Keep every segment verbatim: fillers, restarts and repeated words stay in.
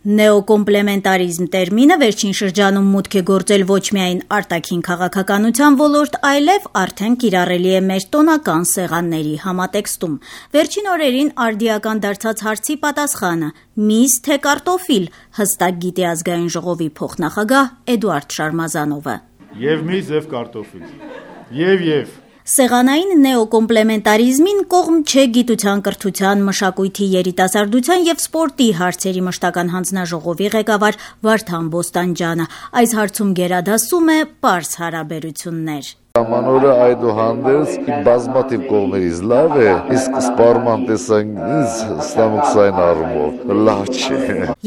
Նեոկոմպլեմենտարիզմ տերմինը վերջին շրջանում մուտք է գործել ոչ միայն արտաքին քաղաքականության ոլորտ, այլև արդեն կիրառելի է մեր տոնական սեղանների համատեքստում։ Վերջին օրերին արդիական դարձած հարցի պատասխանը՝ միս թե կարտոֆիլ, հստակ գիտի ազգային ժողովի փոխնախագահ Էդուարդ Շարմազանովը։ Եվ միս եւ կարտոֆիլ։ Եվ եւ Սեղանային նեոկոմպլեմենտարիզմին կողմ չէ գիտության, կրթության, մշակույթի, երիտասարդության եւ սպորտի հարցերի մշտական հանձնաժողովի ղեկավար Վարդան Բոստանջյանը։ Այս հարցում գերադասում է պարզ հարաբերություններ։ Ամանորը այդուհանդերձ բազմաթիվ կողմերից լավ է, իսկ սպառման տեսանկյունից ստամոքսային առումով լավ չէ։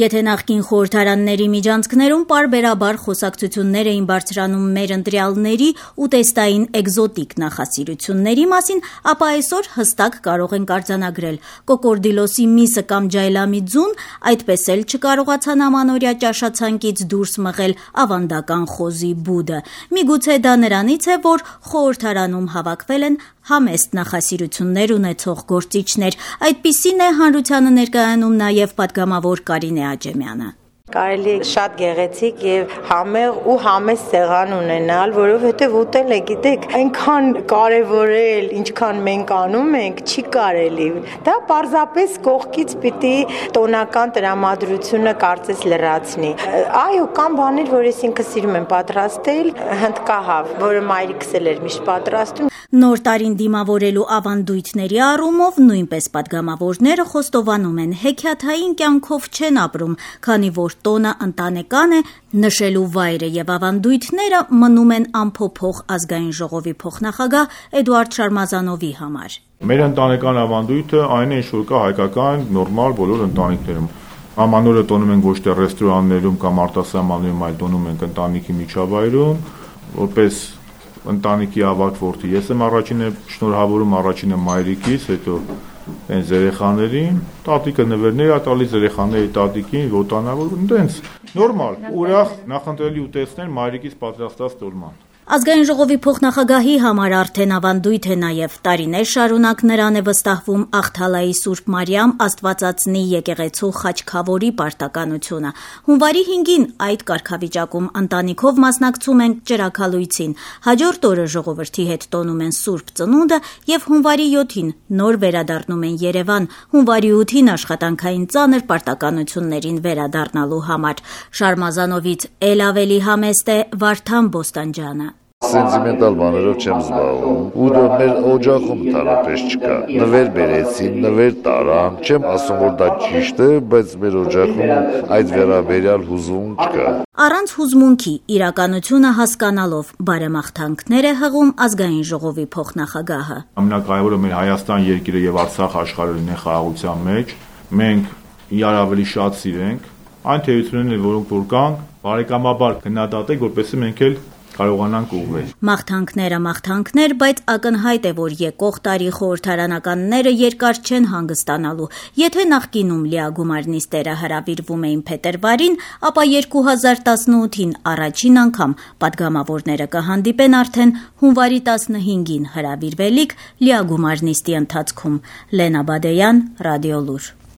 Եթե նախկին խորհրդարանների միջանցքներում պարբերաբար խոսակցություններ էին բարձրանում մեր ընտրյալների ուտեստային էկզոտիկ նախասիրությունների մասին, ապա այսօր հստակ կարող ենք արձանագրել՝ կոկորդիլոսի միսը կամ ջայլամի ձուն այդպես էլ չկարողացան ամանորյա ճաշացանկից դուրս մղել ավանդական խոզի բուդը։ Միգուցե դա նրանից է, որ խորհրդարանում հավաքվել են համեստ նախասիրություններ ունեցող գործիչներ։ Այդպիսին է հանրությանը ներկայանում նաև պատգամավոր Կարինե Աջեմյանը։ Կարելի է շատ գեղեցիկ եւ համեղ ու համեստ սեղան ունենալ, որովհետեւ ուտել է, գիտեք, այնքան կարեւորել, ինչքան մենք անում ենք, չի կարելի։ Դա պարզապես կողքից պիտի տոնական տրամադրությունը կարծես լրացնի։ Այո, կան բաներ, որ ես ինքս սիրում եմ պատրաստել, հնդկահավ, որը մայրիկս էլ էր միշտ պատրաստում։ Նոր տարին դիմավորելու ավանդույթների առումով նույնպես պատգամավորները խոստովանում են, հեքիաթային կյանքով չեն ապրում, քանի որ տոնը ընտանեկան է, նշելու վայրը եւ ավանդույթները մնում են անփոփոխ ազգային ժողովի փոխնախագահ Էդուարդ Շարմազանովի համար։ Մեր ընտանեկան ավանդույթը այն է, ինչ որ կա հայկական նորմալ բոլոր ընտանիքներում։ Ամանորը տոնում են ոչ թե ռեստորաններում կամ արտասահմաններում, այլ տոնում են ընտանիքի միջավայրում, որպես ընտանիքի ավագ որդի։ Ես եմ առաջինը շնորհավորում առաջինը մայրիկից, հետո հենց երեխաներին, տատիկը նվերներ ա տալիս երեխաների տատիկին, ոտանավոր, այնտենց նորմալ, ուրախ նախընտրելի ուտեստներ մայրիկից պատրաստած տոլման։ Ազգային ժողովի փոխնախագահի համար արդեն ավանդույթ է նաև տարիներ շարունակ նրան է վստահվում Աղթալայի Սուրբ Մարիամ Աստվածածնի եկեղեցու խաչքավորի պարտականությունը։ Հունվարի հինգին այդ կարգավիճակում ընտանիքով մասնակցում ենք ճրագալույցին, հաջորդ օրը ժողովրդի հետ տոնում են Սուրբ Ծնունդը եւ հունվարի յոթին նոր վերադառնում են Երևան, հունվարի ութին աշխատանքային ծանր պարտականություններին վերադառնալու համար։ Շարմազանովից էլ ավելի համեստ է Վարդան Բոստանջյանը։ Սենտիմենտալ բաներով չեմ զբաղվում, ու դա մեր օջախում տարապես չկա։ Նվեր բերեցին, նվեր տարան, չեմ ասում, որ դա ճիշտ է, բայց մեր օջախում այդ վերաբերյալ հուզում չկա։ Առանց հուզմունքի իրականությունը հասկանալով բարեմաղթանքներ է հղում ազգային ժողովի փոխնախագահը։ Ամենակարևորը մեր Հայաստան երկիրը եւ Արցախ աշխարհը լինեն խաղաղության մեջ, մենք իրար ավելի շատ սիրենք, այն թերություններն, որոնք որ կան, բարեկամաբար գնահատենք, որպեսզի մենք էլ կարողանանք ուղղվել։ Մաղթանքները մաղթանքներ, բայց ակնհայտ է, որ եկող տարի խորհրդարանականները երկար չեն հանգստանալու։ Եթե նախկինում լիագումար նիստերը հրավիրվում էին փետրվարին, ապա երկու հազար տասնութին առաջին անգամ պատգամավորները կհանդիպեն արդեն հունվարի տասնհինգին հրավիրվելիք լիագումար նիստի ընթացքում։ Լենա Բադեյան, Ռադիոլուր։